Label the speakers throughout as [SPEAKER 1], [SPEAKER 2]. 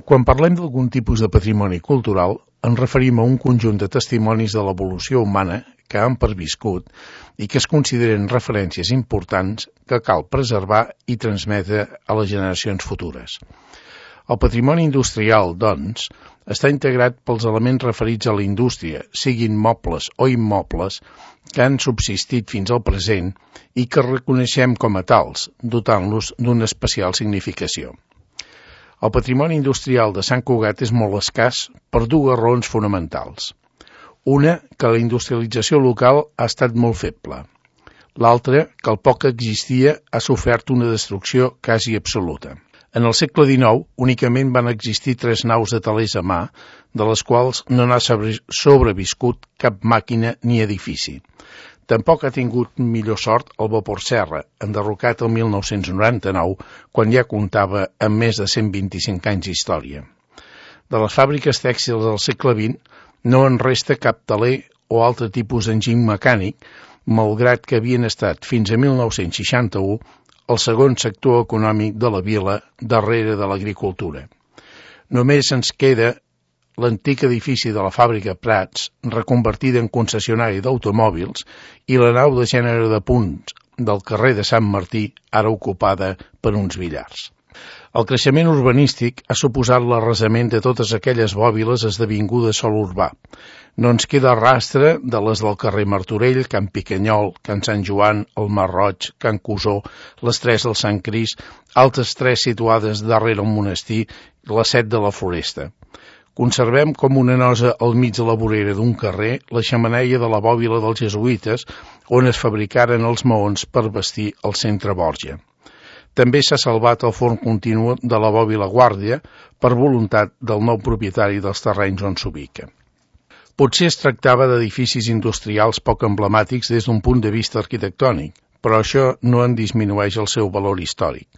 [SPEAKER 1] Quan parlem d'algun tipus de patrimoni cultural, ens referim a un conjunt de testimonis de l'evolució humana que han perviscut i que es consideren referències importants que cal preservar i transmetre a les generacions futures. El patrimoni industrial, doncs, està integrat pels elements referits a la indústria, siguin mobles o immobles, que han subsistit fins al present i que reconeixem com a tals, dotant-los d'una especial significació. El patrimoni industrial de Sant Cugat és molt escàs per dues raons fonamentals. Una, que la industrialització local ha estat molt feble. L'altra, que el poc que existia ha sofert una destrucció quasi absoluta. En el segle XIX únicament van existir 3 naus de telers a mà, de les quals no n'ha sobreviscut cap màquina ni edifici. Tampoc ha tingut millor sort el vapor serra, enderrocat el 1999, quan ja comptava amb més de 125 anys d'història. De les fàbriques tèxtils del segle XX no en resta cap teler o altre tipus d'enginy mecànic, malgrat que havien estat fins a 1961 el segon sector econòmic de la vila darrere de l'agricultura. Només ens queda l'antic edifici de la fàbrica Prats, reconvertida en concessionari d'automòbils, i la nau de gènere de punts del carrer de Sant Martí, ara ocupada per uns billars. El creixement urbanístic ha suposat l'arrasament de totes aquelles bòbiles esdevingudes sòl urbà. No ens queda rastre de les del carrer Martorell, Can Picanyol, Can Sant Joan, el Mar Roig, Can Cusó, les 3 del Sant Crist, altres 3 situades darrere el monestir i les 7 de la Floresta. Conservem com una nosa al mig de la vorera d'un carrer la xemeneia de la bòbila dels jesuïtes, on es fabricaren els maons per vestir el centre Borja. També s'ha salvat el forn continu de la bòbila Guàrdia per voluntat del nou propietari dels terrenys on s'ubica. Potser es tractava d'edificis industrials poc emblemàtics des d'un punt de vista arquitectònic, però això no en disminueix el seu valor històric.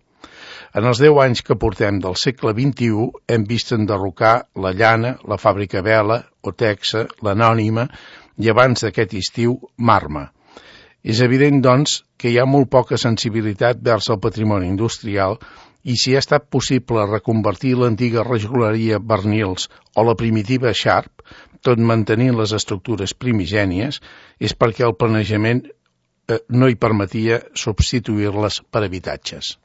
[SPEAKER 1] En els 10 anys que portem del segle XXI hem vist enderrocar la Llana, la Fàbrica Vela, Otexa, l'Anònima i abans d'aquest estiu, Marma. És evident, doncs, que hi ha molt poca sensibilitat vers el patrimoni industrial i si ha estat possible reconvertir l'antiga rejoleria Bernils o la primitiva Sharp, tot mantenint les estructures primigènies, és perquè el planejament no hi permetia substituir-les per habitatges.